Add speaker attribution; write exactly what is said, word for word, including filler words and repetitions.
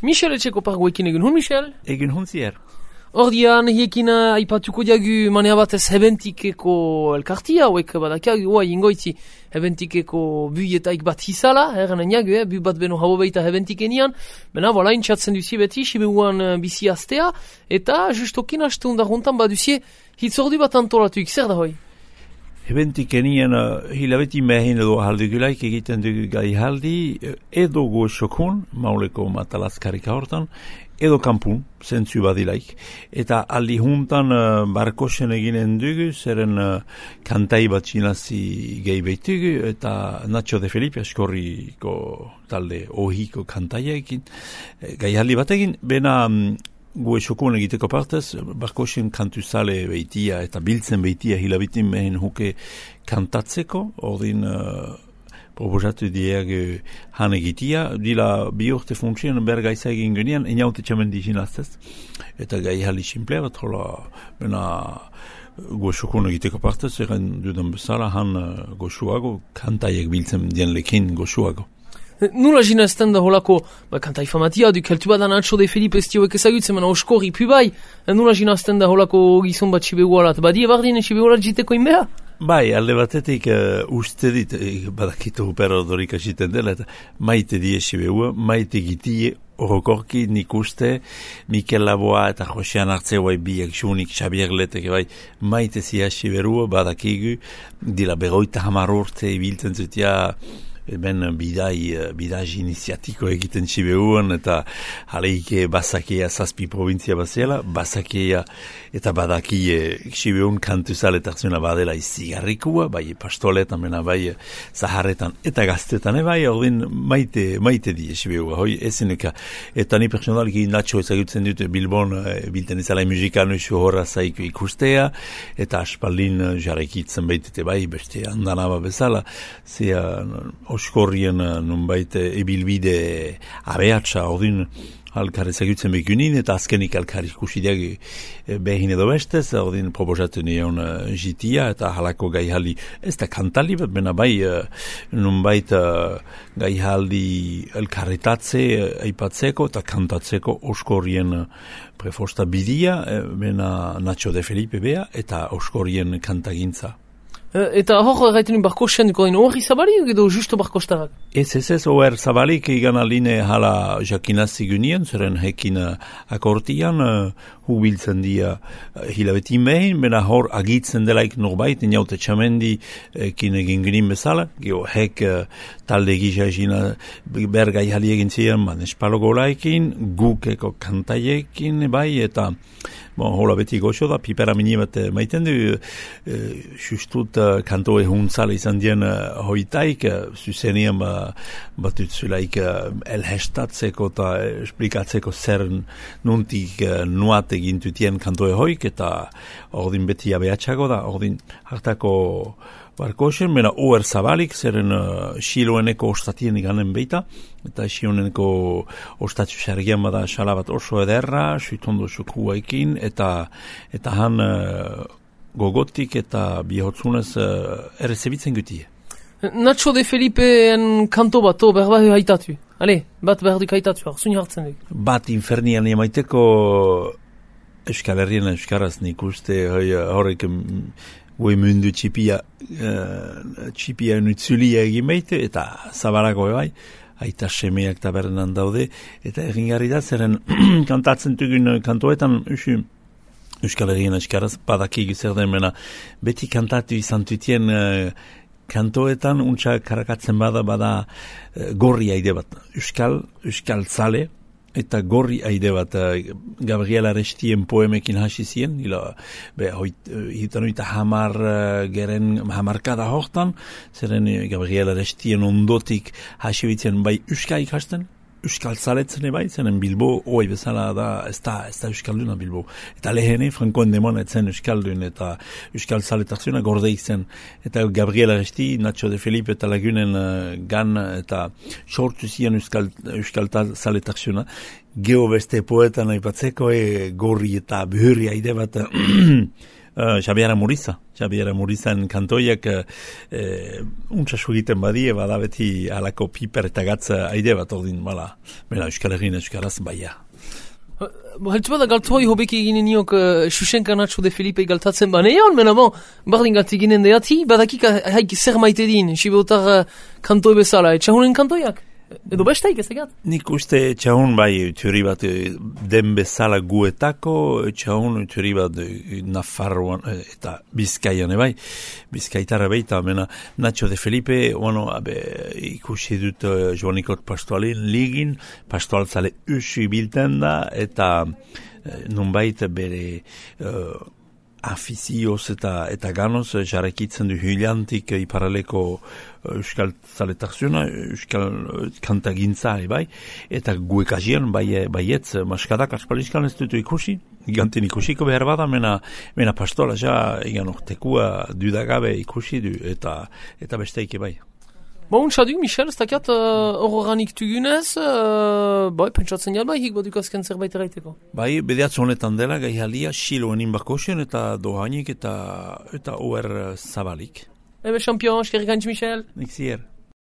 Speaker 1: Michel etxeko pargoekin egin hun, Michel?
Speaker 2: Egin hun zier.
Speaker 1: Ordian, hiekin aipatuko diagu manea batez hebentikeko elkartia, hauek badakiagu, hoa ingoitzi hebentikeko buietaik bat hizala, erren eniagu, eh, bu bat beno habo beita hebentikenian, bena, vola, intxatzen duzie beti, sibeuan bizi astea, eta justokin haste hundar hontan baduzie hitzordu bat antolatuik, zer da hoi?
Speaker 2: Hebentikenian uh, hilabeti mehin edo haldugulaik egiten dugu gai haldi, edo goxokun, mauleko matalazkarika hortan, edo kampun, zentzu badilaik. Eta aldi juntan uh, barkosen eginen dugu, zeren uh, kantai bat txinazi gehi behitugu, eta Nacho de Felipe askorriko talde ohiko kantaiaekin, gai haldi batekin, bena um, gu esokun egiteko partez, barkosen kantuzale behitia eta biltzen behitia hilabitin mehen huke kantatzeko, ordin uh, proposatu diag han egitia, dila bi urte funtzien bergaiza egin genean, eniaute txamen dizinaztez, eta gai hali simplea bat, hola, bena goxokun egiteko partez, egen dudan bezala, han uh, goxuago, kantaiek biltzen dien lekin goxuago.
Speaker 1: Nula jina ezten da holako, ba, kanta ifamatia, du keltu badan Nacho de Felipe estioek ezagutzen, mena oskorri pubai, nula jina ezten da holako gizon bat txibegualat, badie bardien txibegualat jiteko inbea?
Speaker 2: Bai, alde batetik uh, uste dit, uh, badakitu hupera odorika jiten dela, eta maite die txibegua, maite gitie, orokorki nik uste, Mikel Laboa eta Josean Artzea bai biak xunik Xabier Leteke bai maite zia txiberua, badakigu, dila beroita hamar urte ibiltzen zutia, ben bidai, bidai iniziatiko egiten txibeuan, eta haleike basakea zazpi provintzia bazela, basakea eta badakie txibeun kantuzale tarzuna badela izigarrikua, bai pastoletan, mena bai zaharretan eta gaztetan, bai ordin maite, maite die txibeua, hoi ezineka, eta ni personalki Nacho ezagutzen dute Bilbon, bilten ezala musikanu isu horra zaiko ikustea, eta aspaldin jarrekitzen baitete bai, beste andanaba bezala, zea oskorrien nunbait ebilbide abeatsa, ordin alkar ezagutzen bekunin, eta azkenik alkar ikusideak behin edo bestez, ordin proposatu nion uh, jitia, eta halako gaihali, ez da kantali bat, bena bai uh, nunbait uh, gaihali elkarretatze uh, aipatzeko eta kantatzeko oskorrien uh, prefosta bidia, uh, bena Nacho de Felipe bea, eta oskorrien kantagintza.
Speaker 1: Eta hor gaiten barkosen duko dino hori zabalik edo justo barkostarak?
Speaker 2: Ez ez ez, oer zabalik egan aline hala jakinazi gunien, zeren hekin akortian uh, hubiltzen dia uh, hilabetin behin, bena hor agitzen delaik norbait, inaute txamendi ekin egin gunin bezala, geho hek uh, talde gisa egina bergai hali egin ziren, man espalogolaikin, gukeko kantaiekin, bai, eta bon, hola beti goxo da, pipera mini bat maiten du, e, justut uh, kantoe huntzala izan dien uh, hoitaik, uh, zuzenian ba, bat utzulaik uh, elhestatzeko eta esplikatzeko zer nuntik uh, nuat egintutien kantoe hoik, eta ordin beti abeatxago da, ordin hartako barkosen, mena oer zabalik, zeren uh, xiloeneko ostatien iganen beita, eta xioneneko ostatzu xargian bada xalabat oso ederra, suitondo xukuaikin, eta eta han uh, gogotik eta bihotzunez uh, errezebitzen gutie.
Speaker 1: Nacho de Felipe-en kanto bat, o, behar behar haitatu. Ale, bat behar duk haitatu, arzun hartzen duk.
Speaker 2: Bat infernian emaiteko Euskal Herrien Euskaraz nik uste horrek goi mundu txipia, uh, txipia nutzulia egin behite, eta zabarako bai, aita semeak tabernan daude, eta egin garri da, zeren kantatzen dugun kantoetan, usu, Euskal Herrien Euskaraz, badaki zer den mena, beti kantatu izan tutien uh, kantoetan, untsa karakatzen bada, bada uh, gorri aide bat, Euskal, Euskal Zale, eta gorri aide bat uh, Gabriel Arestien poemekin hasi zien, ila, be, hoit, uh, hitan oita hamar uh, geren hamarkada hortan, zeren uh, Gabriel Arestien ondotik hasi bitzen bai Euskal ikasten, Euskal Zaletzen bai, zenen Bilbo, oi bezala da, ez da, ez da Euskalduna Bilbo. Eta lehene, Frankoen demon etzen Euskaldun, eta Euskal Zaletarzuna gordeik zen. Eta Gabriel Aresti, Nacho de Felipe eta lagunen uh, gan, eta sortu zian Euskal, Euskal Zaletarzuna. Geo beste poetan aipatzeko, e, gorri eta behurri aide bat Uh, Xabiera Muriza. Xabiera Murizan kantoiak uh, untsasu egiten badie, bada beti alako piper eta gatza aide bat ordin, bala, bera Euskal Herrin Euskaraz baia.
Speaker 1: Haltzu bada galtzoi hobeki eginen niok uh, Xuxenka Nacho de Felipe galtatzen baneion, mena bon, bardin galti ginen deati, badakik haik zer maite din, sibeotar uh, kantoi bezala, etxahunen kantoiak? Edo besteik ez egat?
Speaker 2: Nik uste txahun bai teori bat den bezala guetako, txahun teori bat Nafarroan eta Bizkaian bai, Bizkaitarra baita, mena Nacho de Felipe, bueno, abe, ikusi dut uh, Joanikot Pastoalin ligin, pastoaltzale usu bilten da, eta uh, nunbait bere uh, afizioz eta, eta ganoz jarrekitzen du hilantik iparaleko Euskal Zaletakziona, Euskal Kantagintza, bai, eta guekazian, bai, baietz, maskadak aspalizkan ez dutu ikusi, gantin ikusiko behar bada, mena, mena pastola, ja, egan ortekua dudagabe ikusi du, eta, eta besteike bai.
Speaker 1: Bon, txaduk, Michel, ez dakiat horroranik uh, tugunez, uh, bai, pentsatzen jat bai, hik baduk azken zerbait eraiteko.
Speaker 2: Bai, bedeatz honetan dela, gai halia, siloen inbakosen, eta dohanik, eta, eta oer zabalik.
Speaker 1: Ebe, champion, eskerrik antz, Michel.
Speaker 2: Nik zier.